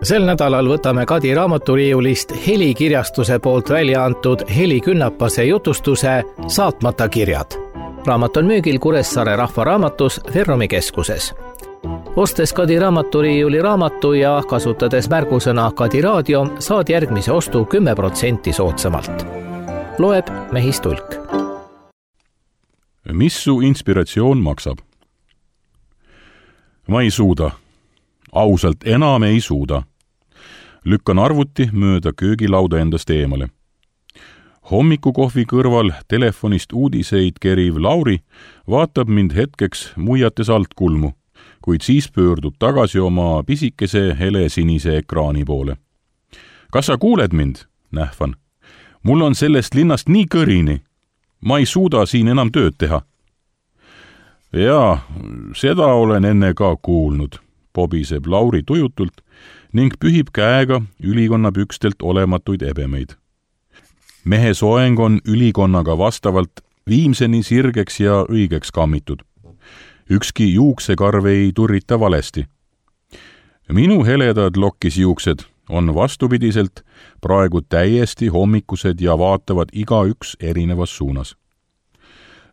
Sel nädalal võtame Kadi raamaturiiulist Helikirjastuse poolt välja antud Heli Künnapase jutustuse Saatmata kirjad. Raamat on müügil Kuressaare Rahvaraamatus Ferromi keskuses. Ostes Kadi raamaturiiuli raamatu ja kasutades märgusõna Kadi raadio, saad järgmise ostu 10% soodsamalt. Loeb Mehis Tulk. Mis su inspiratsioon maksab? Ma ei suuda. Ausalt enam ei suuda. Lükkan arvuti mööda köögilauda endast eemale. Hommikukohvi kõrval telefonist uudiseid keriv Lauri vaatab mind hetkeks muiates alt kulmu, kuid siis pöördub tagasi oma pisikese helesinise ekraani poole. Kas sa kuuled mind? Nähvan. Mul on sellest linnast nii kõrini. Ma ei suuda siin enam tööd teha. Jaa, seda olen enne ka kuulnud, pobiseb Lauri tujutult ning pühib käega ülikonna pükstelt olematuid ebemeid. Mehe soeng on ülikonnaga vastavalt viimseni sirgeks ja õigeks kammitud. Ükski juuksekarv ei turrita valesti. Minu heledad lokkisjuuksed on vastupidiselt praegu täiesti hommikused ja vaatavad igaüks erinevas suunas.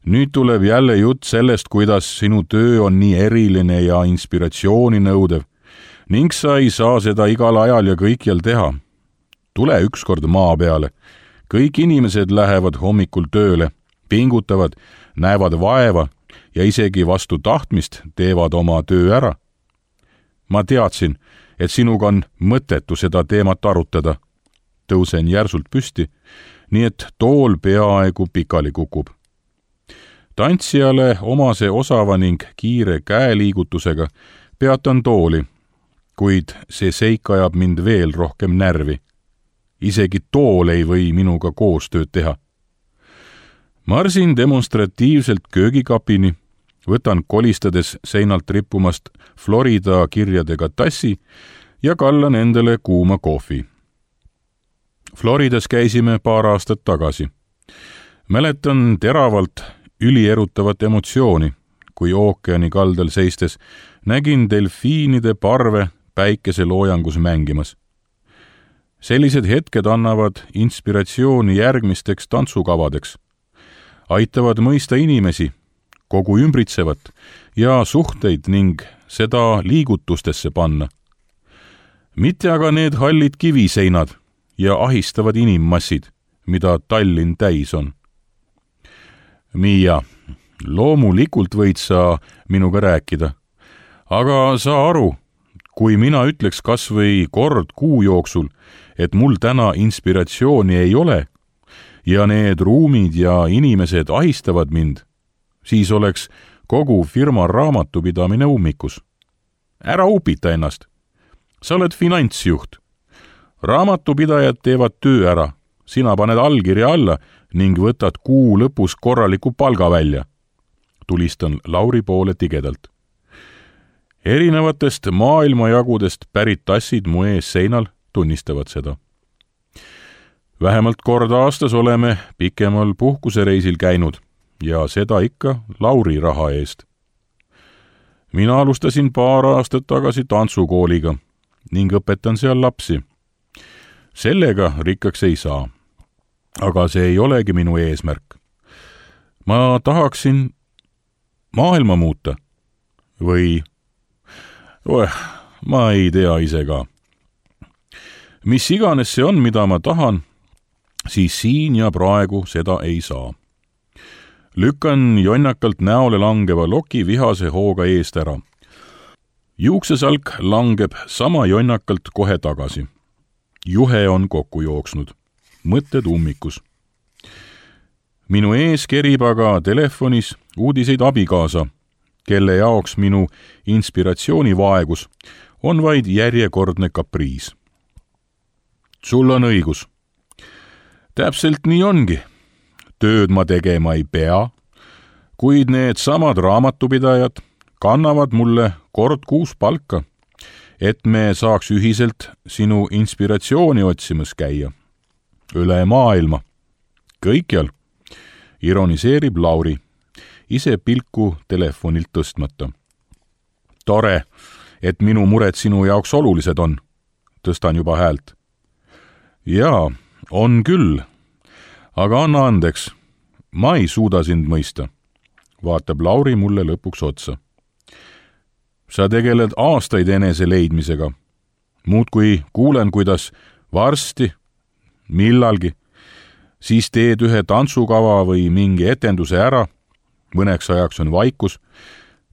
Nüüd tuleb jälle jutt sellest, kuidas sinu töö on nii eriline ja inspiratsiooni nõudev ning sa ei saa seda igal ajal ja kõikjal teha. Tule ükskord maa peale. Kõik inimesed lähevad hommikul tööle, pingutavad, näevad vaeva ja isegi vastu tahtmist teevad oma töö ära. Ma teadsin, et sinuga on mõttetu seda teemat arutada. Tõusen järsult püsti, nii et tool peaaegu pikali kukub. Tantsijale omase osava ning kiire käeliigutusega peatan tooli, kuid see seik ajab mind veel rohkem närvi. Isegi tool ei või minuga koostööd teha. Marsin demonstratiivselt köögikapini, võtan kolistades seinalt rippumast Florida kirjadega tassi ja kallan endale kuuma kohvi. Floridas käisime paar aastat tagasi. Mäletan teravalt ülierutavat emotsiooni, kui ookeani kaldal seistes nägin delfiinide parve päikese loojangus mängimas. Sellised hetked annavad inspiratsiooni järgmisteks tantsukavadeks, aitavad mõista inimesi, kogu ümbritsevat ja suhteid ning seda liigutustesse panna. Mitte aga need hallid kiviseinad ja ahistavad inimmassid, mida Tallinn täis on. Miia, loomulikult võid sa minuga rääkida, aga saa aru, kui mina ütleks kas või kord kuu jooksul, et mul täna inspiratsiooni ei ole ja need ruumid ja inimesed ahistavad mind, siis oleks kogu firma raamatupidamine ummikus. Ära upita ennast. Sa oled finantsjuht. Raamatupidajad teevad töö ära. Sina paned allkirja alla ning võtad kuu lõpus korraliku palga välja. Tulistan Lauri poole tigedalt. Erinevatest maailmajagudest pärit tassid mu ees seinal tunnistavad seda. Vähemalt kord aastas oleme pikemal puhkusereisil käinud ja seda ikka Lauri raha eest. Mina alustasin paar aastat tagasi tantsukooliga ning õpetan seal lapsi. Sellega rikkaks ei saa, aga see ei olegi minu eesmärk. Ma tahaksin maailma muuta või ma ei tea ise ka. Mis iganes see on, mida ma tahan, siis siin ja praegu seda ei saa. Lükkan jonnakalt näole langeva loki vihase hooga eest ära. Juuksesalk langeb sama jonnakalt kohe tagasi. Juhe on kokku jooksnud. Mõtted ummikus. Minu ees kerib aga telefonis uudiseid abikaasa, kelle jaoks minu inspiratsioonivaegus on vaid järjekordne kapriis. Sul on õigus. Täpselt nii ongi. Tööd ma tegema ei pea, kuid need samad raamatupidajad kannavad mulle kord kuus palka, et me saaks ühiselt sinu inspiratsiooni otsimas käia. Üle maailma. Kõikjal. Ironiseerib Lauri, ise pilku telefonilt tõstmata. Tore, et minu mured sinu jaoks olulised on. tõstan juba häält. Jaa, on küll, aga anna andeks, ma ei suuda sind mõista, vaatab Lauri mulle lõpuks otsa. Sa tegeled aastaid enese leidmisega. Muudkui kuulen, kuidas varsti, millalgi, siis teed ühe tantsukava või mingi etenduse ära, mõneks ajaks on vaikus,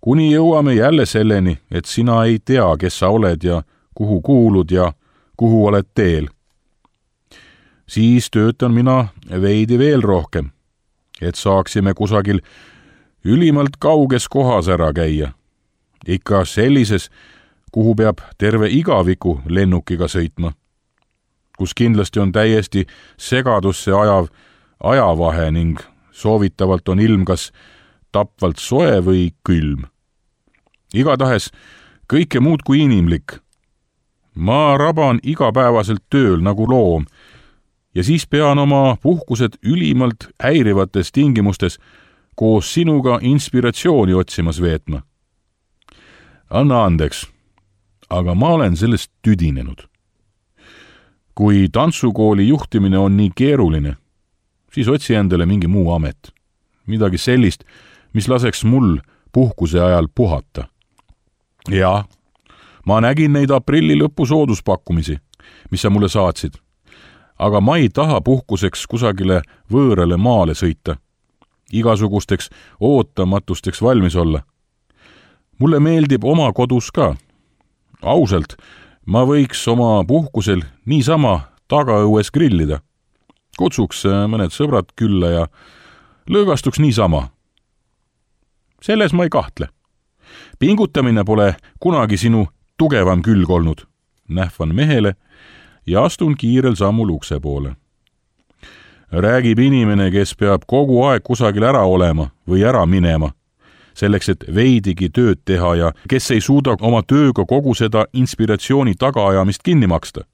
kuni jõuame jälle selleni, et sina ei tea, kes sa oled ja kuhu kuulud ja kuhu oled teel. Siis töötan mina veidi veel rohkem, et saaksime kusagil ülimalt kauges kohas ära käia. Ikka sellises, kuhu peab terve igaviku lennukiga sõitma, kus kindlasti on täiesti segadusse ajav ajavahe ning soovitavalt on ilm kas tapvalt soe või külm. Igatahes kõike muud kui inimlik. Ma raban igapäevaselt tööl nagu loom ja siis pean oma puhkused ülimalt häirivates tingimustes koos sinuga inspiratsiooni otsimas veetma. Anna andeks, aga ma olen sellest tüdinenud. Kui tantsukooli juhtimine on nii keeruline, siis otsi endale mingi muu amet. Midagi sellist, mis laseks mul puhkuse ajal puhata. Ja, ma nägin neid aprilli lõpu sooduspakkumisi, mis sa mulle saatsid. Aga ma ei taha puhkuseks kusagile võõrale maale sõita. Igasugusteks ootamatusteks valmis olla. Mulle meeldib oma kodus ka. Ausalt, ma võiks oma puhkusel niisama tagaõues grillida. Kutsuks mõned sõbrad külla ja lõõgastuks niisama. Selles ma ei kahtle. Pingutamine pole kunagi sinu tugevam külg olnud. Nähvan mehele ja astun kiirel sammul ukse poole. Räägib inimene, kes peab kogu aeg kusagil ära olema või ära minema, selleks, et veidigi tööd teha ja kes ei suuda oma tööga kogu seda inspiratsiooni tagaajamist kinni maksta.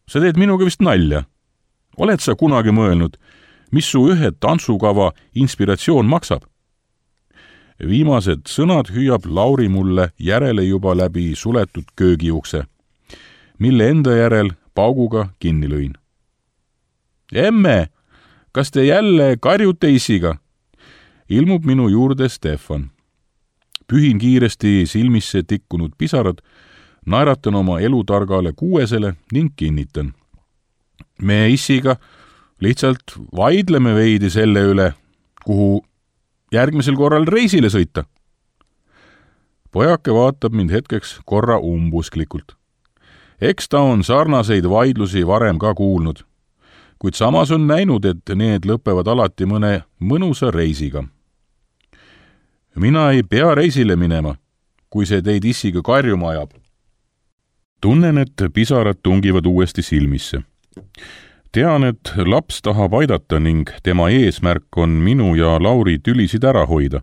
Sa teed minuga vist nalja. Oled sa kunagi mõelnud, mis su ühe tantsukava inspiratsioon maksab? Viimased sõnad hüüab Lauri mulle järele juba läbi suletud köögiukse, mille enda järel pauguga kinni lõin. Emme, kas te jälle karjute isiga? Ilmub minu juurde Stefan. Pühin kiiresti silmisse tikkunud pisarad, naeratan oma elutargale kuuesele ning kinnitan. Me issiga lihtsalt vaidleme veidi selle üle, kuhu järgmisel korral reisile sõita. Pojake vaatab mind hetkeks korra umbusklikult. Eks ta on sarnaseid vaidlusi varem ka kuulnud, kuid samas on näinud, et need lõpevad alati mõne mõnusa reisiga. Mina ei pea reisile minema, kui see teid issiga karjuma ajab. Tunnen, et pisarad tungivad uuesti silmisse. Tean, et laps tahab aidata ning tema eesmärk on minu ja Lauri tülisid ära hoida.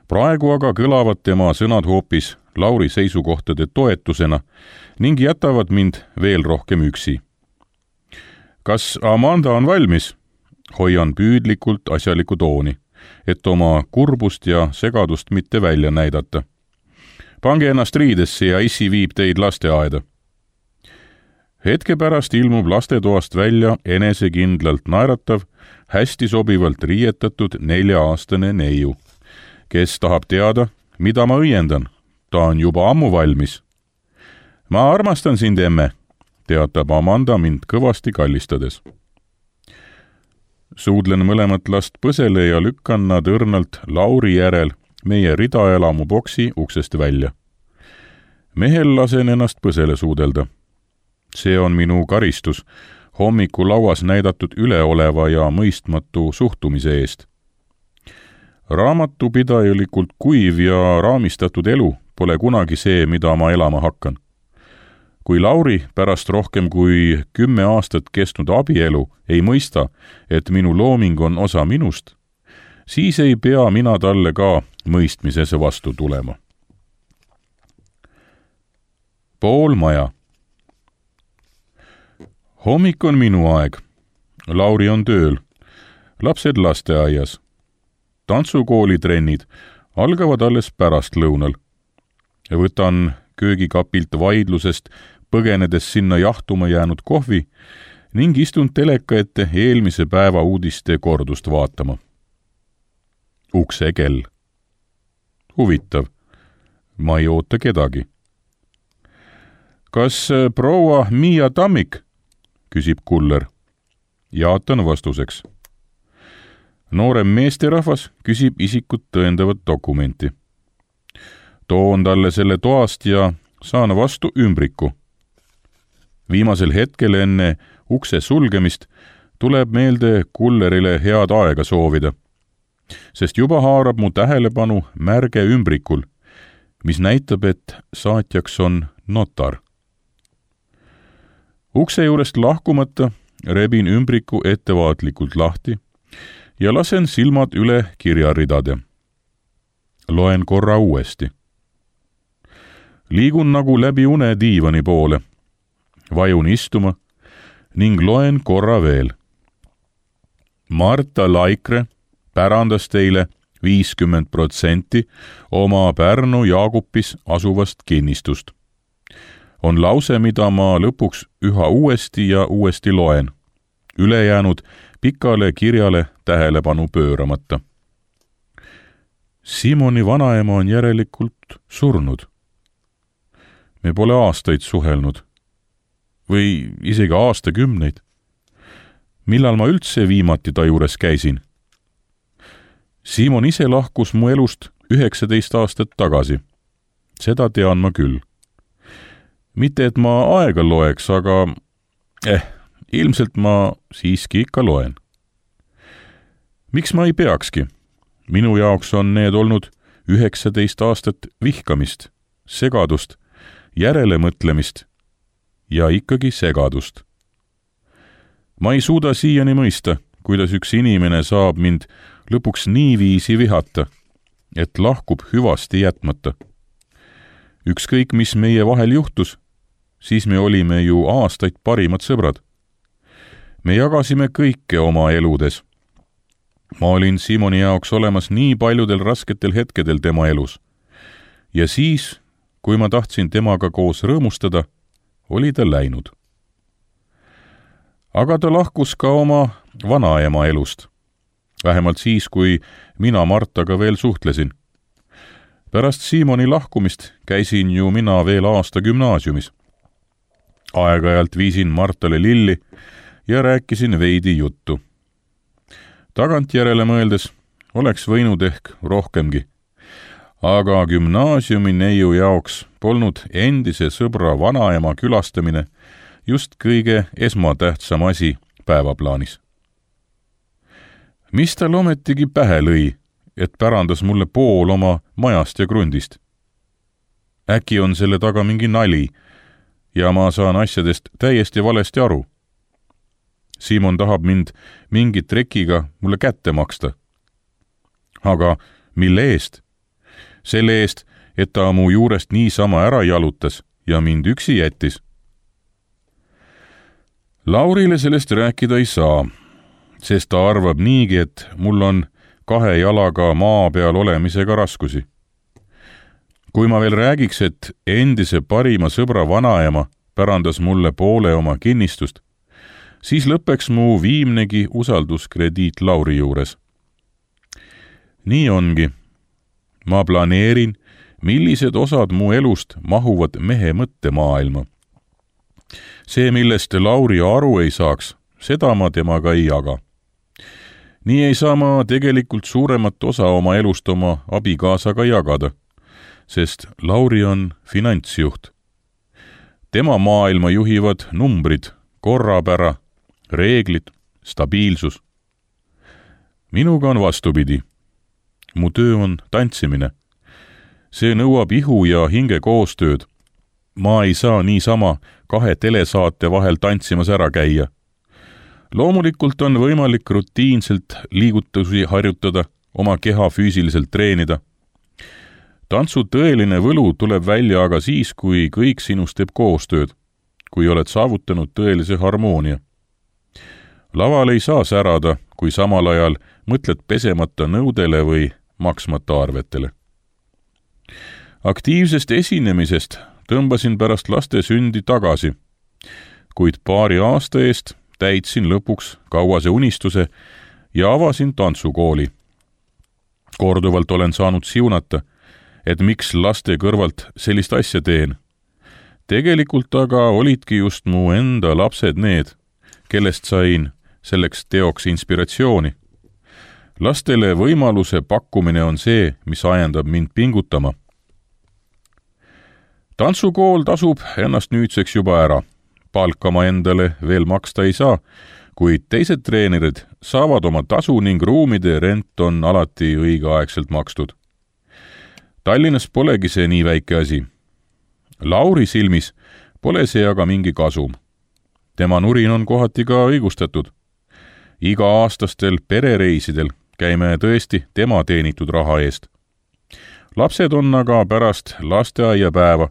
Praegu aga kõlavad tema sõnad hoopis Lauri seisukohtade toetusena ning jätavad mind veel rohkem üksi. Kas Amanda on valmis? Hoian püüdlikult asjaliku tooni, et oma kurbust ja segadust mitte välja näidata. Pange ennast riidesse ja issi viib teid lasteaeda. Hetke pärast ilmub lastetoast välja enesekindlalt naeratav, hästi sobivalt riietatud 4-aastane neiu, kes tahab teada, mida ma õiendan. Ta on juba ammu valmis. Ma armastan sind, emme, teatab Amanda mind kõvasti kallistades. Suudlen mõlemat last põsele ja lükkan nad õrnalt Lauri järel meie ridaelamu boksi uksest välja. Mehel lasen ennast põsele suudelda. See on minu karistus hommikulauas näidatud üleoleva ja mõistmatu suhtumise eest. Raamatupidajalikult kuiv ja raamistatud elu pole kunagi see, mida ma elama hakkan. Kui Lauri pärast rohkem kui 10 aastat kestnud abielu ei mõista, et minu looming on osa minust, siis ei pea mina talle ka mõistmises vastu tulema. Pool maja. Hommik on minu aeg. Lauri on tööl. Lapsed lasteaias. Tantsukoolitrennid algavad alles pärastlõunal. Võtan köögikapilt vaidlusest põgenedes sinna jahtuma jäänud kohvi ning istun teleka ette eelmise päeva uudiste kordust vaatama. Uksekell. Huvitav, ma ei oota kedagi. Kas proua Miia Tammik? Küsib kuller. Jaatan vastuseks. Noorem meesterahvas küsib isikut tõendavat dokumenti. Toon talle selle toast ja saan vastu ümbriku. Viimasel hetkel enne ukse sulgemist tuleb meelde kullerile head aega soovida, sest juba haarab mu tähelepanu märge ümbrikul, mis näitab, et saatjaks on notar. Ukse juurest lahkumata rebin ümbriku ettevaatlikult lahti ja lasen silmad üle kirjaridade. Loen korra uuesti. Liigun nagu läbi une diivani poole. Vajun istuma ning loen korra veel. Marta Laikre pärandas teile 50% oma Pärnu Jaagupis asuvast kinnistust. On lause, mida ma lõpuks üha uuesti ja uuesti loen. Ülejäänud pikale kirjale tähelepanu pööramata. Simoni vanaema on järelikult surnud. Me pole aastaid suhelnud. Või isegi aastakümneid. Millal ma üldse viimati ta juures käisin? Simon ise lahkus mu elust 19 aastat tagasi. Seda tean ma küll. Mitte, et ma aega loeks, aga ilmselt ma siiski ikka loen. Miks ma ei peakski? Minu jaoks on need olnud 19 aastat vihkamist, segadust, järelemõtlemist ja ikkagi segadust. Ma ei suuda siiani mõista, kuidas üks inimene saab mind lõpuks niiviisi vihata, et lahkub hüvasti jätmata. Ükskõik, mis meie vahel juhtus, siis me olime ju aastaid parimad sõbrad. Me jagasime kõike oma eludes. Ma olin Simoni jaoks olemas nii paljudel rasketel hetkedel tema elus. Ja siis, kui ma tahtsin temaga koos rõõmustada, oli ta läinud. Aga ta lahkus ka oma vanaema elust. Vähemalt siis, kui mina Martaga veel suhtlesin. Pärast Simoni lahkumist käisin ju mina veel aasta gümnaasiumis. Aeg-ajalt viisin Martale lilli ja rääkisin veidi juttu. Tagantjärele mõeldes oleks võinud ehk rohkemgi. Aga gümnaasiumi neiu jaoks polnud endise sõbra vanaema külastamine just kõige esmatähtsam asi päevaplaanis. Mis tal ometigi pähe lõi, et pärandas mulle pool oma majast ja krundist? Äkki on selle taga mingi nali ja ma saan asjadest täiesti valesti aru. Simon tahab mind mingi trekiga mulle kätte maksta. Aga mille eest? Selle eest, et ta mu juurest niisama ära jalutas ja mind üksi jättis. Laurile sellest rääkida ei saa, sest ta arvab niigi, et mul on 2 jalaga maa peal olemisega raskusi. Kui ma veel räägiks, et endise parima sõbra vanaema pärandas mulle poole oma kinnistust, siis lõpeks mu viimnegi usalduskrediit Lauri juures. Nii ongi. Ma planeerin, millised osad mu elust mahuvad mehe mõttemaailma. See, millest Lauri aru ei saaks, seda ma temaga ei jaga. Nii ei saa ma tegelikult suuremat osa oma elust oma abikaasaga jagada, sest Lauri on finantsjuht. Tema maailma juhivad numbrid, korrapära, reeglid, stabiilsus. Minuga on vastupidi. Mu töö on tantsimine. See nõuab ihu ja hinge koostööd. Ma ei saa niisama 2 telesaate vahel tantsimas ära käia. Loomulikult on võimalik rutiinselt liigutusi harjutada, oma keha füüsiliselt treenida. Tantsu tõeline võlu tuleb välja aga siis, kui kõik sinust teeb koostööd, kui oled saavutanud tõelise harmoonia. Laval ei saa särada, kui samal ajal mõtled pesemata nõudele või maksmata arvetele. Aktiivsest esinemisest tõmbasin pärast laste sündi tagasi, kuid paari aasta eest täitsin lõpuks kauase unistuse ja avasin tantsukooli. Korduvalt olen saanud siunata, et miks laste kõrvalt sellist asja teen. Tegelikult aga olidki just mu enda lapsed need, kellest sain selleks teoks inspiratsiooni. Lastele võimaluse pakkumine on see, mis ajendab mind pingutama. Tantsukool tasub ennast nüüdseks juba ära. Palka ma endale veel maksta ei saa, kuid teised treenerid saavad oma tasu ning ruumide rent on alati õigeaegselt makstud. Tallinnas polegi see nii väike asi. Lauri silmis pole see aga mingi kasum. Tema nurin on kohati ka õigustatud. Iga-aastastel perereisidel käime tõesti tema teenitud raha eest. Lapsed on aga pärast lasteaiapäeva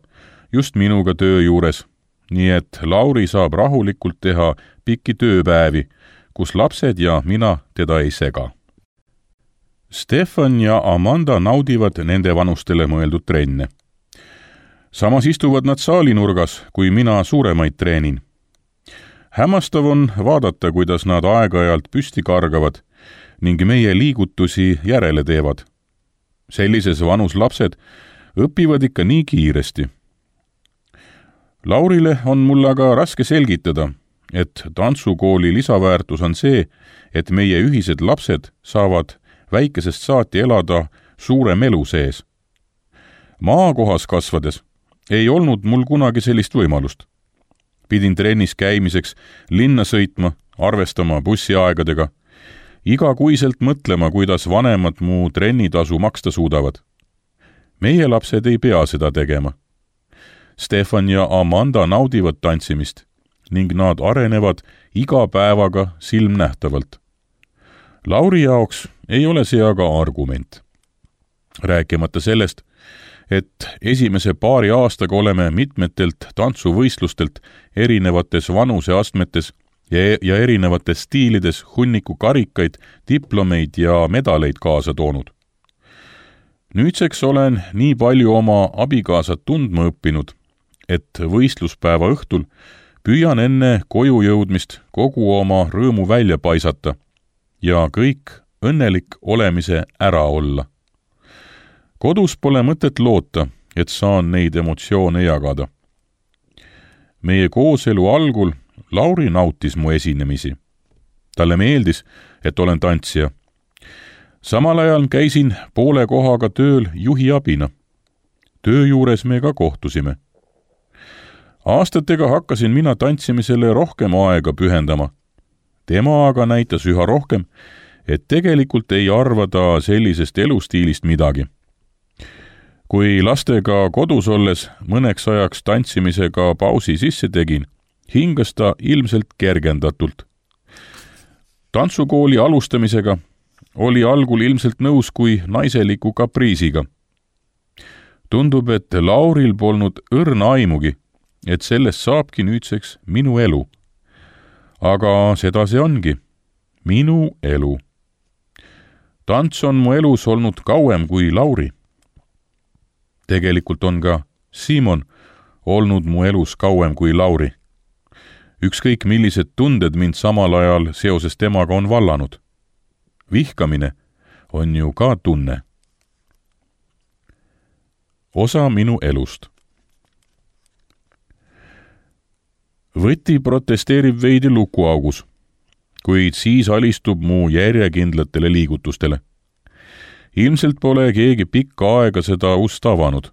just minuga töö juures, nii et Lauri saab rahulikult teha pikki tööpäevi, kus lapsed ja mina teda ei sega. Stefan ja Amanda naudivad nende vanustele mõeldud trenne. Samas istuvad nad saalinurgas, kui mina suuremaid treenin. Hämmastav on vaadata, kuidas nad aeg-ajalt püsti kargavad ning meie liigutusi järele teevad. Sellises vanus lapsed õpivad ikka nii kiiresti. Laurile on mul aga raske selgitada, et tantsukooli lisaväärtus on see, et meie ühised lapsed saavad väikesest saati elada suurem elu sees. Maakohas kasvades ei olnud mul kunagi sellist võimalust. Pidin trennis käimiseks linna sõitma, arvestama bussiaegadega, igakuiselt mõtlema, kuidas vanemad mu trennitasu maksta suudavad. Meie lapsed ei pea seda tegema. Stefan ja Amanda naudivad tantsimist ning nad arenevad iga päevaga silmnähtavalt. Lauri jaoks ei ole see aga argument. Rääkimata sellest, et esimese paari aastaga oleme mitmetelt tantsuvõistlustelt erinevates vanuseastmetes ja erinevates stiilides hunniku karikaid, diplomeid ja medaleid kaasa toonud. Nüüdseks olen nii palju oma abikaasat tundma õppinud, et võistluspäeva õhtul püüan enne koju jõudmist kogu oma rõõmu välja paisata ja kõik õnnelik olemise ära olla. Kodus pole mõtet loota, et saan neid emotsioone jagada. Meie kooselu algul Lauri nautis mu esinemisi. Talle meeldis, et olen tantsija. Samal ajal käisin poole kohaga tööl juhi abina. Töö juures me ka kohtusime. Aastatega hakkasin mina tantsimisele rohkem aega pühendama. Tema aga näitas üha rohkem, et tegelikult ei arva ta sellisest elustiilist midagi. Kui lastega kodus olles mõneks ajaks tantsimisega pausi sisse tegin, hingas ta ilmselt kergendatult. Tantsukooli alustamisega oli algul ilmselt nõus kui naiseliku kapriisiga. Tundub, et Lauril polnud õrna aimugi, et sellest saabki nüüdseks minu elu. Aga seda see ongi. Minu elu. Tants on mu elus olnud kauem kui Lauri. Tegelikult on ka Simon olnud mu elus kauem kui Lauri. Ükskõik millised tunded mind samal ajal seoses temaga on vallanud. Vihkamine on ju ka tunne. Osa minu elust. Võti protesteerib veidi lukuaugus, kuid siis alistub mu järjekindlatele liigutustele. Ilmselt pole keegi pikka aega seda ust avanud.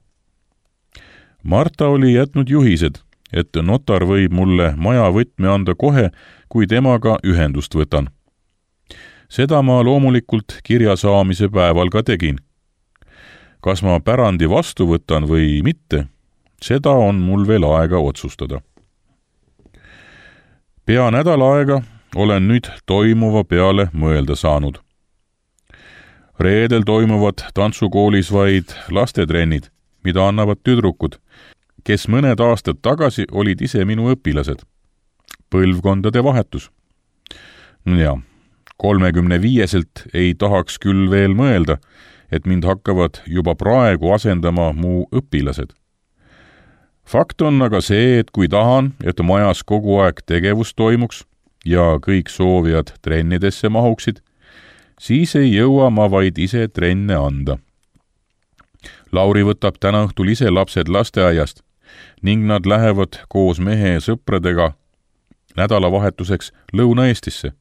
Marta oli jätnud juhised, et notar võib mulle maja võtme anda kohe, kui temaga ühendust võtan. Seda ma loomulikult kirja saamise päeval ka tegin. Kas ma pärandi vastu võtan või mitte, seda on mul veel aega otsustada. Pea nädal aega olen nüüd toimuva peale mõelda saanud. Reedel toimuvad tantsukoolis vaid lastetrennid, mida annavad tüdrukud, kes mõned aastad tagasi olid ise minu õpilased. Põlvkondade vahetus. Ja 35-selt ei tahaks küll veel mõelda, et mind hakkavad juba praegu asendama mu õpilased. Fakt on aga see, et kui tahan, et majas kogu aeg tegevus toimuks ja kõik soovijad trennidesse mahuksid, siis ei jõua ma vaid ise trenne anda. Lauri võtab täna õhtul ise lapsed lasteaiast ning nad lähevad koos mehe sõpradega nädalavahetuseks Lõuna-Eestisse.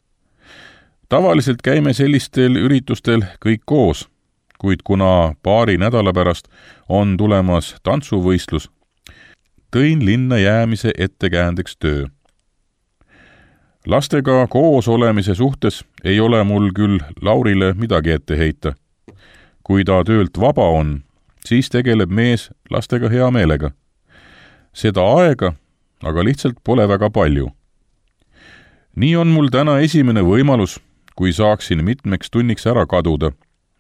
Tavaliselt käime sellistel üritustel kõik koos, kuid kuna paari nädala pärast on tulemas tantsuvõistlus, tõin linna jäämise ettekäändeks töö. Lastega koos olemise suhtes ei ole mul küll Laurile midagi ette heita. Kui ta töölt vaba on, siis tegeleb mees lastega hea meelega. Seda aega aga lihtsalt pole väga palju. Nii on mul täna esimene võimalus, kui saaksin mitmeks tunniks ära kaduda,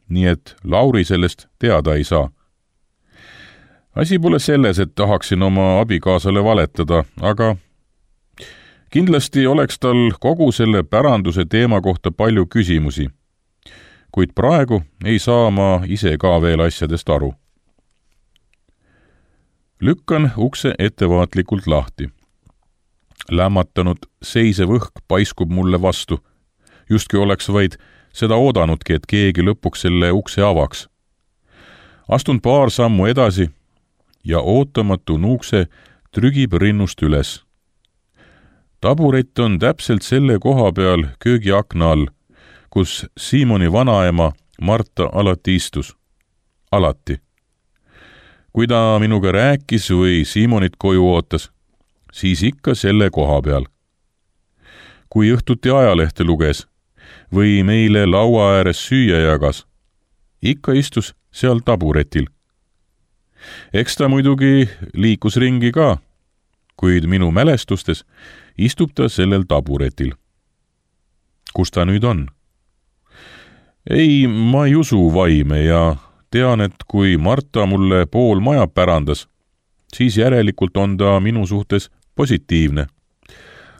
nii et Lauri sellest teada ei saa. Asi pole selles, et tahaksin oma abikaasale valetada, aga kindlasti oleks tal kogu selle päranduse teema kohta palju küsimusi, kuid praegu ei saa ma ise ka veel asjadest aru. Lükkan ukse ettevaatlikult lahti. Lämmatanud seisev õhk paiskub mulle vastu, justki oleks vaid seda oodanudki, et keegi lõpuks selle ukse avaks. Astun paar sammu edasi ja ootamatu nuukse trügib rinnust üles. Taburet on täpselt selle koha peal köögiakna all, kus Siimoni vanaema Marta alati istus. Alati. Kui ta minuga rääkis või Siimonit koju ootas, siis ikka selle koha peal. Kui õhtuti ajalehte luges või meile laua ääres süüa jagas, ikka istus seal taburetil. Eks ta muidugi liikus ringi ka, kuid minu mälestustes istub ta sellel taburetil. Kus ta nüüd on? Ei, ma ei usu vaime ja tean, et kui Marta mulle pool maja pärandas, siis järelikult on ta minu suhtes positiivne.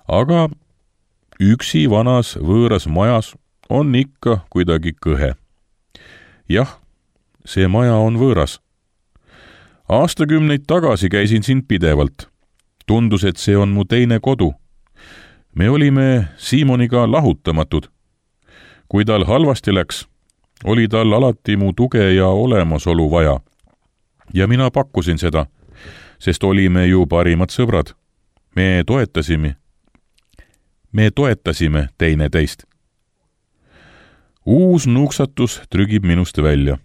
Aga üksi vanas võõras majas on ikka kuidagi kõhe. Jah, see maja on võõras. Aastakümneid tagasi käisin siin pidevalt. Tundus, et see on mu teine kodu. Me olime Siimoniga lahutamatud. Kui tal halvasti läks, oli tal alati mu tuge ja olemasolu vaja. Ja mina pakkusin seda, sest olime ju parimad sõbrad. Me toetasime teineteist. Uus nuksatus trügib minust välja.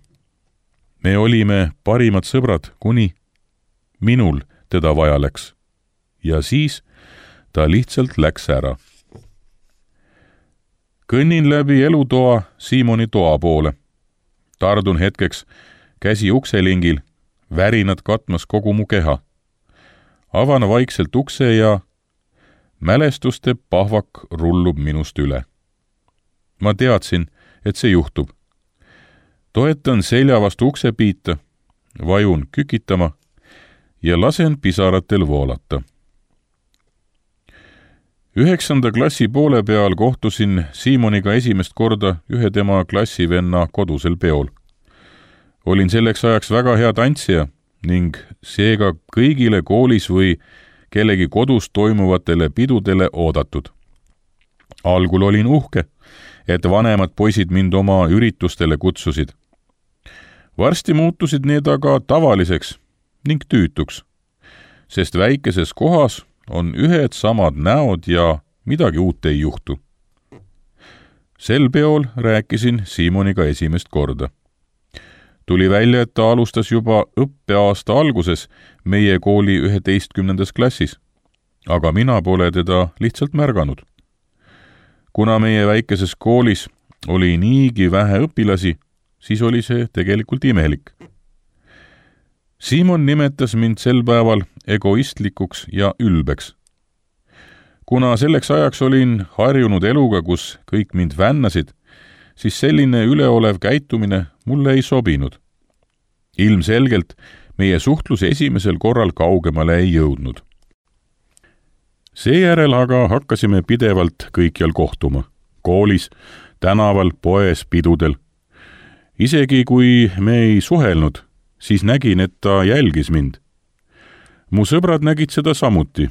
Me olime parimad sõbrad, kuni minul teda vaja läks. Ja siis ta lihtsalt läks ära. Kõnnin läbi elutoa Siimoni toa poole. Tardun hetkeks, käsi ukselingil, värinad katmas kogu mu keha. Avan vaikselt ukse ja mälestuste pahvak rullub minust üle. Ma teadsin, et see juhtub. Toetan selja vastu uksepiita, vajun kükitama ja lasen pisaratel voolata. 9. klassi poole peal kohtusin Siimoniga esimest korda ühe tema klassivenna kodusel peol. Olin selleks ajaks väga hea tantsija ning seega kõigile koolis või kellegi kodus toimuvatele pidudele oodatud. Algul olin uhke, et vanemad poisid mind oma üritustele kutsusid. Varsti muutusid need aga tavaliseks ning tüütuks, sest väikeses kohas on ühed samad näod ja midagi uut ei juhtu. Sel peol rääkisin Siimoniga esimest korda. Tuli välja, et ta alustas juba õppeaasta alguses meie kooli 11. klassis, aga mina pole teda lihtsalt märganud. Kuna meie väikeses koolis oli niigi vähe õpilasi, siis oli see tegelikult imelik. Siimon nimetas mind sel päeval egoistlikuks ja ülbeks. Kuna selleks ajaks olin harjunud eluga, kus kõik mind vännasid, siis selline üleolev käitumine mulle ei sobinud. Ilmselgelt meie suhtlus esimesel korral kaugemale ei jõudnud. Seejärel aga hakkasime pidevalt kõikjal kohtuma. Koolis, tänaval, poes, pidudel. Isegi kui me ei suhelnud, siis nägin, et ta jälgis mind. mu sõbrad nägid seda samuti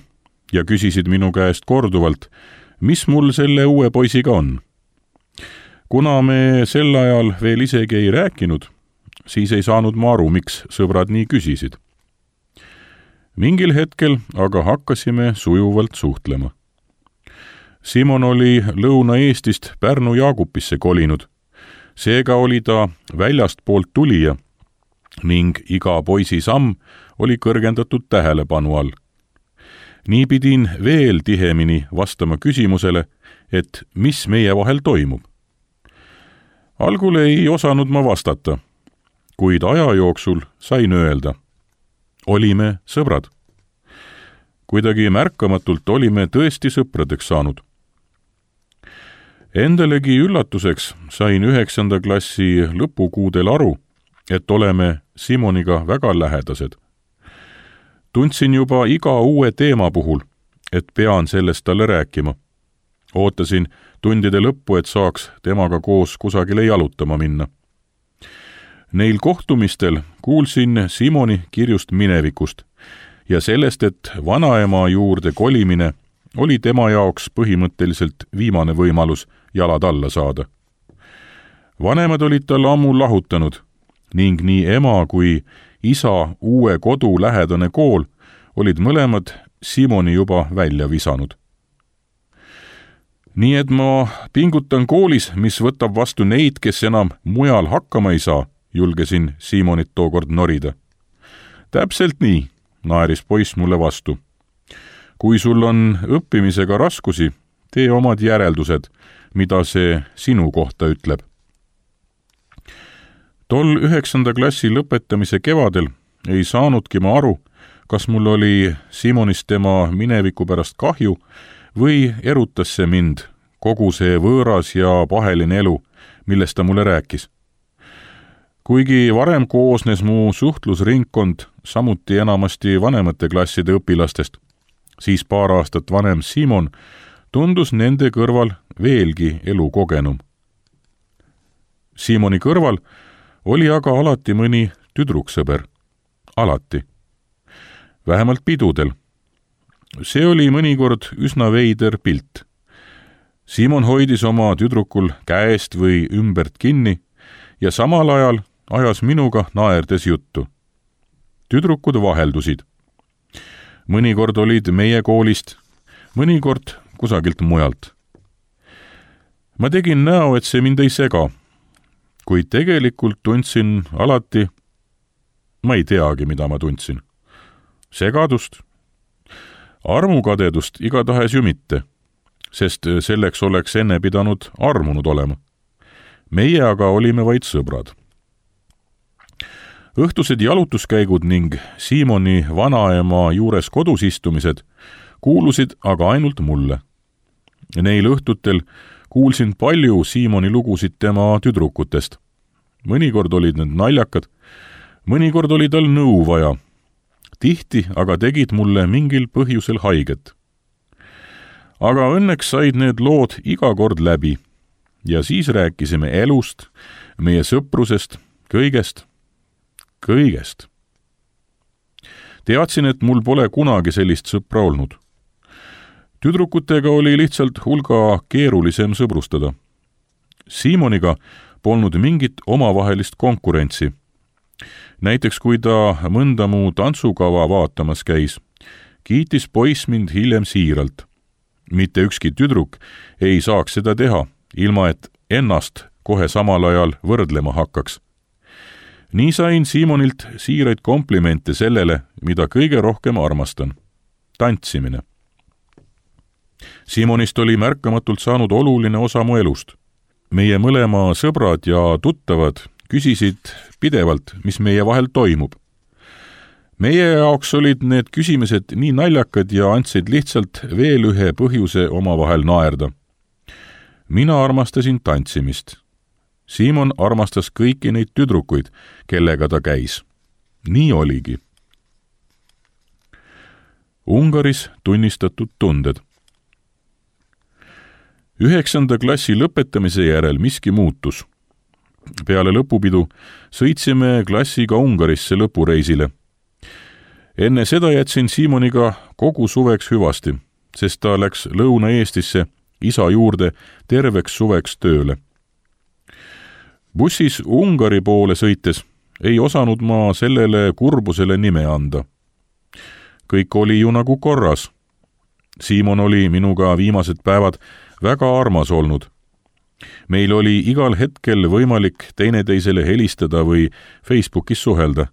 ja küsisid minu käest korduvalt, mis mul selle uue poisiga on. Kuna me sel ajal veel isegi ei rääkinud, siis ei saanud ma aru, miks sõbrad nii küsisid. Mingil hetkel aga hakkasime sujuvalt suhtlema. Simon oli Lõuna-Eestist Pärnu Jaagupisse kolinud. Seega oli ta väljast poolt tulija ning iga poisi samm oli kõrgendatud tähelepanu all. Nii pidin veel tihemini vastama küsimusele, et mis meie vahel toimub. Algul ei osanud ma vastata, kuid aja jooksul sain öelda. Olime sõbrad. Kuidagi märkamatult olime tõesti sõpradeks saanud. Endalegi üllatuseks sain 9. klassi lõpukuudel aru, et oleme Simoniga väga lähedased. Tundsin juba iga uue teema puhul, et pean sellest talle rääkima. Ootasin tundide lõppu, et saaks temaga koos kusagile jalutama minna. Neil kohtumistel kuulsin Simoni kirjust minevikust ja sellest, et vanaema juurde kolimine oli tema jaoks põhimõtteliselt viimane võimalus jalad alla saada. Vanemad olid tal ammu lahutanud ning nii ema kui isa uue kodu lähedane kool olid mõlemad Simoni juba välja visanud. Nii et ma pingutan koolis, mis võtab vastu neid, kes enam mujal hakkama ei saa, julgesin Simonit tookord norida. Täpselt nii, naeris poiss mulle vastu. Kui sul on õppimisega raskusi, tee omad järeldused, mida see sinu kohta ütleb. Tol 9. klassi lõpetamise kevadel ei saanudki ma aru, kas mul oli Simonist tema mineviku pärast kahju või erutas see mind, kogu see võõras ja paheline elu, millest ta mulle rääkis. Kuigi varem koosnes mu suhtlusringkond samuti enamasti vanemate klasside õpilastest, siis paar aastat vanem Simon tundus nende kõrval veelgi elukogenum. Simoni kõrval oli aga alati mõni tüdruksõber. Alati. Vähemalt pidudel. See oli mõnikord üsna veider pilt. Simon hoidis oma tüdrukul käest või ümbert kinni ja samal ajal ajas minuga naerdes juttu. Tüdrukud vaheldusid. Mõnikord olid meie koolist, mõnikord kusagilt mujalt. Ma tegin näo, et see mind ei sega, kuid tegelikult tundsin alati, ma ei teagi, mida ma tundsin. Segadust, armukadedust igatahes ju mitte, sest selleks oleks enne pidanud armunud olema. Meie aga olime vaid sõbrad. Õhtused jalutuskäigud ning Simoni vanaema juures kodus istumised kuulusid aga ainult mulle. Neil õhtutel kuulsin palju Simoni lugusid tema tüdrukutest. Mõnikord olid need naljakad, mõnikord oli tal nõu vaja. Tihti aga tegid mulle mingil põhjusel haiget. Aga õnneks said need lood iga kord läbi ja siis rääkisime elust, meie sõprusest, kõigest. Teadsin, et mul pole kunagi sellist sõpra olnud. Tüdrukutega oli lihtsalt hulga keerulisem sõbrustada. Simoniga polnud mingit omavahelist konkurentsi. Näiteks kui ta mõnda mu tantsukava vaatamas käis, kiitis poiss mind hiljem siiralt. Mitte ükski tüdruk ei saaks seda teha, ilma et ennast kohe samal ajal võrdlema hakkaks. Nii sain Simonilt siiraid komplimente sellele, mida kõige rohkem armastan. Tantsimine. Simonist oli märkamatult saanud oluline osa mu elust. Meie mõlema sõbrad ja tuttavad küsisid pidevalt, mis meie vahel toimub. Meie jaoks olid need küsimused nii naljakad ja andsid lihtsalt veel ühe põhjuse omavahel naerda. Mina armastasin tantsimist. Simon armastas kõiki neid tüdrukuid, kellega ta käis. Nii oligi. Ungaris tunnistatud tunded. 9. klassi lõpetamise järel miski muutus. Peale lõpupidu sõitsime klassiga Ungarisse lõpureisile. Enne seda jätsin Siimoniga kogu suveks hüvasti, sest ta läks Lõuna-Eestisse isa juurde terveks suveks tööle. Bussis Ungari poole sõites ei osanud ma sellele kurbusele nime anda. Kõik oli ju nagu korras. Siimon oli minuga viimased päevad väga armas olnud. Meil oli igal hetkel võimalik teineteisele helistada või Facebookis suhelda.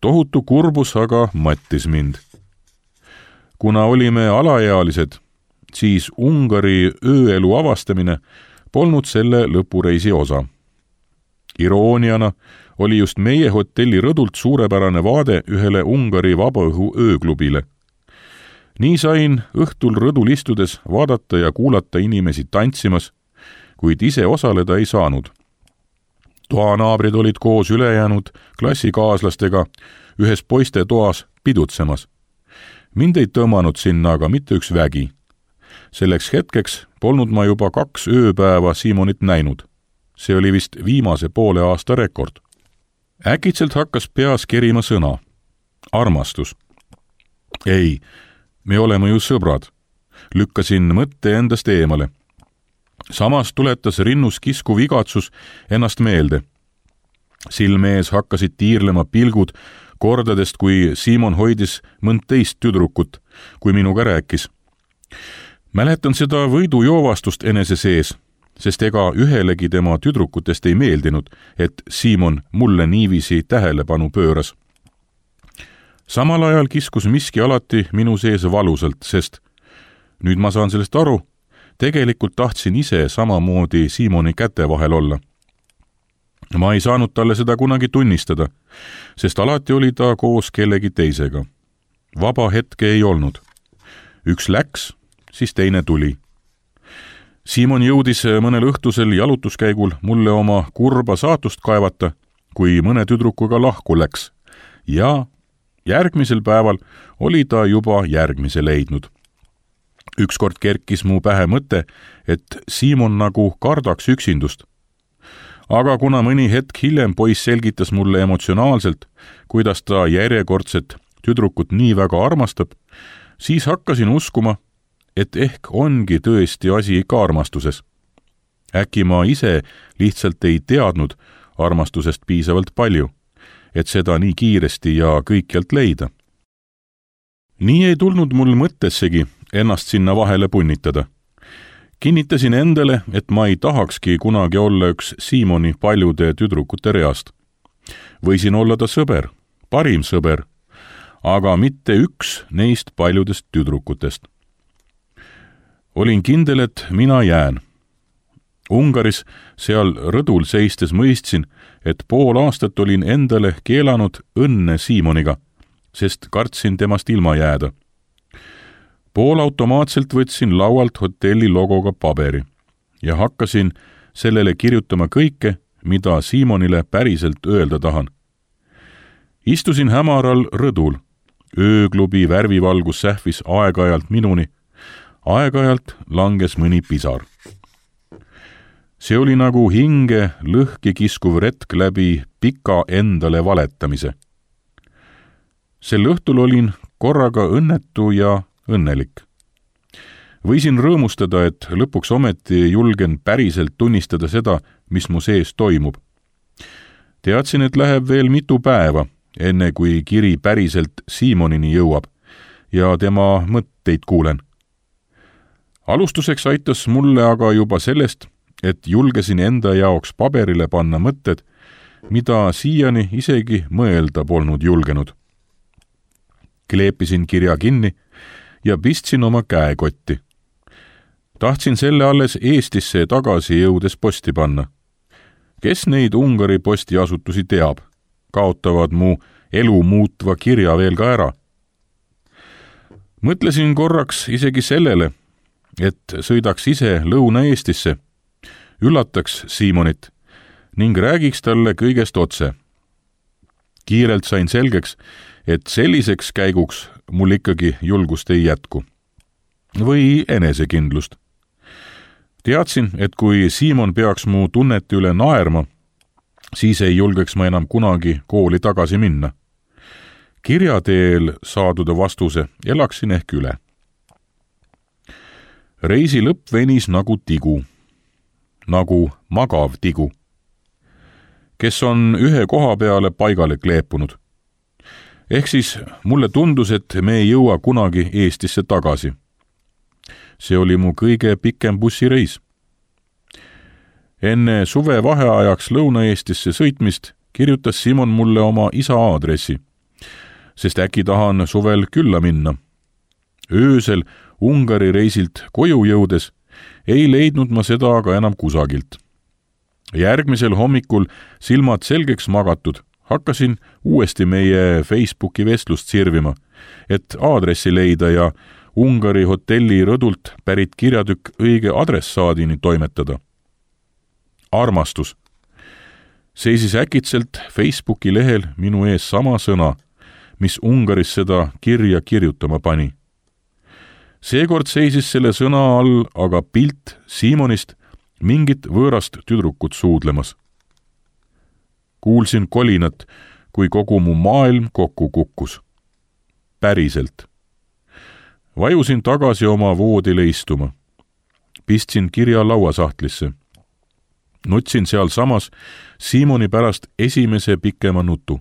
Tohutu kurbus aga mattis mind. Kuna olime alaealised, siis Ungari ööelu avastamine polnud selle lõpureisi osa. Irooniana oli just meie hotelli rõdult suurepärane vaade ühele Ungari vabaõhu ööklubile. Nii sain õhtul rõdul istudes vaadata ja kuulata inimesi tantsimas, kuid ise osaleda ei saanud. Toanaabrid olid koos ülejäänud klassikaaslastega ühes poiste toas pidutsemas. Mind ei tõmmanud sinna aga mitte üks vägi. Selleks hetkeks polnud ma juba 2 ööpäeva Siimonit näinud. See oli vist viimase poole aasta rekord. Äkitselt hakkas peas kerima sõna. Armastus. Ei, me oleme ju sõbrad. Lükkasin mõtte endast eemale. Samas tuletas rinnus kiskuv igatsus ennast meelde. Silme ees hakkasid tiirlema pilgud kordadest, kui Siimon hoidis mõnd teist tüdrukut, kui minuga rääkis. Mäletan seda võidujoovastust enese sees, sest ega ühelegi tema tüdrukutest ei meeldinud, et Siimon mulle niiviisi tähelepanu pööras. Samal ajal kiskus miski alati minu sees valusalt, sest nüüd ma saan sellest aru, tegelikult tahtsin ise samamoodi Siimoni käte vahel olla. Ma ei saanud talle seda kunagi tunnistada, sest alati oli ta koos kellegi teisega. Vaba hetke ei olnud. Üks läks, siis teine tuli. Siimon jõudis mõnel õhtusel jalutuskäigul mulle oma kurba saatust kaevata, kui mõne tüdrukuga lahku läks. Ja järgmisel päeval oli ta juba järgmise leidnud. Ükskord kerkis mu pähe mõte, et Siimon nagu kardaks üksindust. Aga kuna mõni hetk hiljem poiss selgitas mulle emotsionaalselt, kuidas ta järjekordset tüdrukut nii väga armastab, siis hakkasin uskuma, et ehk ongi tõesti asi ikka armastuses. Äkki ma ise lihtsalt ei teadnud armastusest piisavalt palju, et seda nii kiiresti ja kõikjalt leida. Nii ei tulnud mul mõttessegi ennast sinna vahele punnitada. Kinnitasin endale, et ma ei tahakski kunagi olla üks Siimoni paljude tüdrukute reast. Võisin olla ta sõber, parim sõber, aga mitte üks neist paljudest tüdrukutest. Olin kindel, et mina jään. Ungaris seal rõdul seistes mõistsin, et pool aastat olin endale keelanud õnne Siimoniga, sest kartsin temast ilma jääda. Poolautomaatselt võtsin laualt hotelli logoga paberi ja hakkasin sellele kirjutama kõike, mida Siimonile päriselt öelda tahan. Istusin hämaral rõdul. Ööklubi värvivalgus sähvis aeg-ajalt minuni. Aeg-ajalt langes mõni pisar. See oli nagu hinge lõhki kiskuv retk läbi pika endale valetamise. Sel õhtul olin korraga õnnetu ja õnnelik. Võisin rõõmustada, et lõpuks ometi julgen päriselt tunnistada seda, mis mu sees toimub. Teadsin, et läheb veel mitu päeva, enne kui kiri päriselt Siimonini jõuab ja tema mõtteid kuulen. Alustuseks aitas mulle aga juba sellest, et julgesin enda jaoks paberile panna mõtted, mida siiani isegi mõelda polnud julgenud. Kleepisin kirja kinni ja pistsin oma käekotti. Tahtsin selle alles Eestisse tagasi jõudes posti panna. Kes neid Ungari postiasutusi teab, kaotavad mu elu muutva kirja veel ka ära. Mõtlesin korraks isegi sellele, et sõidaks ise Lõuna-Eestisse, üllataks Siimonit ning räägiks talle kõigest otse. Kiirelt sain selgeks, et selliseks käiguks mul ikkagi julgust ei jätku. Või enesekindlust. Teadsin, et kui Siimon peaks mu tunnete üle naerma, siis ei julgeks ma enam kunagi kooli tagasi minna. kirja teel saadud vastuse elaksin ehk üle. Reisi lõpp venis nagu tigu, nagu magav tigu, kes on ühe koha peale paigale kleepunud. Ehk siis mulle tundus, et me ei jõua kunagi Eestisse tagasi. See oli mu kõige pikem bussireis. Enne suve vaheajaks Lõuna-Eestisse sõitmist kirjutas Simon mulle oma isa aadressi, sest äkki tahan suvel külla minna. Öösel Ungari reisilt koju jõudes ei leidnud ma seda aga enam kusagilt. Järgmisel hommikul silmad selgeks magatud hakkasin uuesti meie Facebooki vestlust sirvima, et aadressi leida ja Ungari hotelli rõdult pärit kirjatükk õige adressaadini toimetada. Armastus. Seisis äkitselt Facebooki lehel minu ees sama sõna, mis Ungaris seda kirja kirjutama pani. Seekord seisis selle sõna all aga pilt Simonist mingit võõrast tüdrukut suudlemas. Kuulsin kolinat, kui kogu mu maailm kokku kukkus. Päriselt. Vajusin tagasi oma voodile istuma. Pistsin kirja lauasahtlisse. Nutsin seal samas Simoni pärast esimese pikema nutu.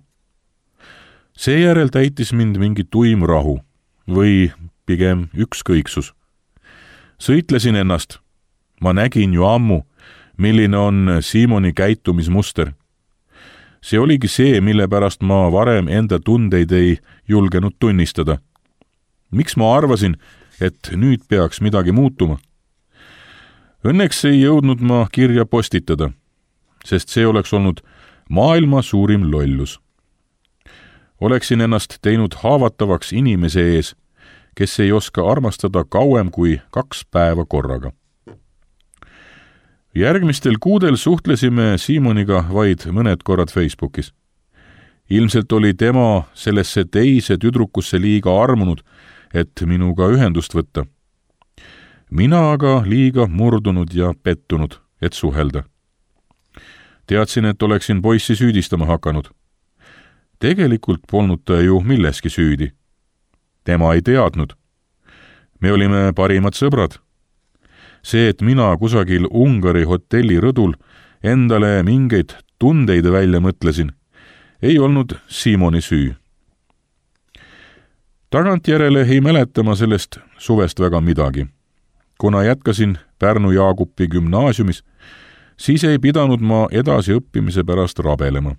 Seejärel täitis mind mingi tuim rahu või pigem ükskõiksus. Sõitlesin ennast. Ma nägin ju ammu, milline on Simoni käitumismuster. See oligi see, mille pärast ma varem enda tundeid ei julgenud tunnistada. Miks ma arvasin, et nüüd peaks midagi muutuma? Õnneks ei jõudnud ma kirja postitada, sest see oleks olnud maailma suurim lollus. Oleksin ennast teinud haavatavaks inimese ees, kes ei oska armastada kauem kui 2 päeva korraga. Järgmistel kuudel suhtlesime Simoniga vaid mõned korrad Facebookis. Ilmselt oli tema sellesse teise tüdrukusse liiga armunud, et minuga ühendust võtta. Mina aga liiga murdunud ja pettunud, et suhelda. Teadsin, et oleksin poissi süüdistama hakanud. Tegelikult polnud ta ju milleski süüdi. Tema ei teadnud. Me olime parimad sõbrad. See, et mina kusagil Ungari hotelli rõdul endale mingeid tundeid välja mõtlesin, ei olnud Simoni süü. Tagantjärele ei mäleta ma sellest suvest väga midagi. Kuna jätkasin Pärnu Jaagupi gümnaasiumis, siis ei pidanud ma edasi õppimise pärast rabelema.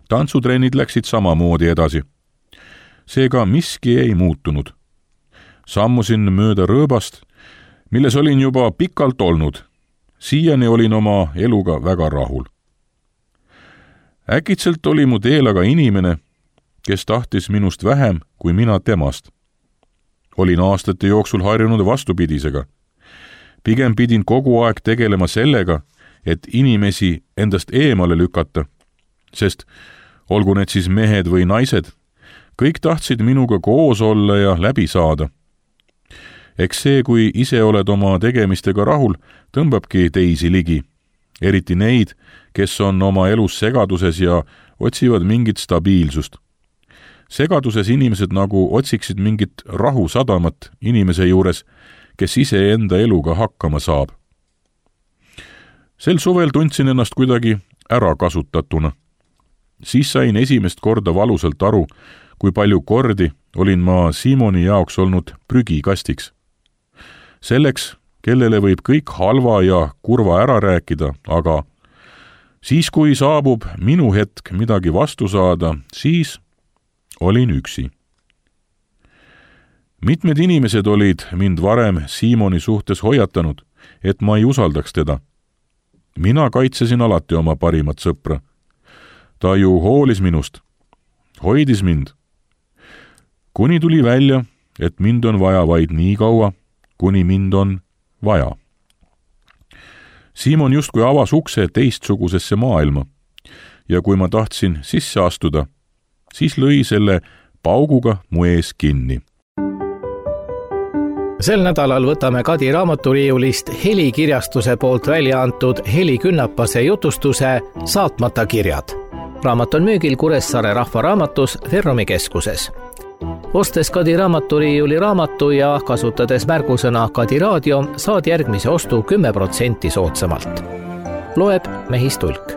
Tantsutrennid läksid samamoodi edasi. Seega miski ei muutunud. Sammusin mööda rõõbast, milles olin juba pikalt olnud. Siiani olin oma eluga väga rahul. Äkitselt oli mu teel aga inimene, kes tahtis minust vähem kui mina temast. Olin aastate jooksul harjunud vastupidisega. Pigem pidin kogu aeg tegelema sellega, et inimesi endast eemale lükata, sest olgu need siis mehed või naised, kõik tahtsid minuga koos olla ja läbi saada. Eks see, kui ise oled oma tegemistega rahul, tõmbabki teisi ligi, eriti neid, kes on oma elus segaduses ja otsivad mingit stabiilsust. Segaduses inimesed nagu otsiksid mingit rahusadamat inimese juures, kes ise enda eluga hakkama saab. Sel suvel tundsin ennast kuidagi ära kasutatuna. Siis sain esimest korda valusalt aru, kui palju kordi olin ma Simoni jaoks olnud prügikastiks. Selleks, kellele võib kõik halva ja kurva ära rääkida, aga siis, kui saabub minu hetk midagi vastu saada, siis olin üksi. Mitmed inimesed olid mind varem Simoni suhtes hoiatanud, et ma ei usaldaks teda. Mina kaitsesin alati oma parimat sõpra. Ta ju hoolis minust, hoidis mind. Kuni tuli välja, et mind on vaja vaid nii kaua, kuni mind on vaja. Simon justkui avas ukse teistsugusesse maailma ja kui ma tahtsin sisse astuda, siis lõi selle pauguga mu ees kinni. Sel nädalal võtame Kadi raamaturiiulist Helikirjastuse poolt välja antud Heli Künnapase jutustuse Saatmata kirjad. raamat on müügil Kuressaare Rahvaraamatus Verromi keskuses. Ostes Kadi raamaturiiuli raamatu ja kasutades märgusõna Kadi raadio, saad järgmise ostu 10% soodsamalt. Loeb Mehis Tulk.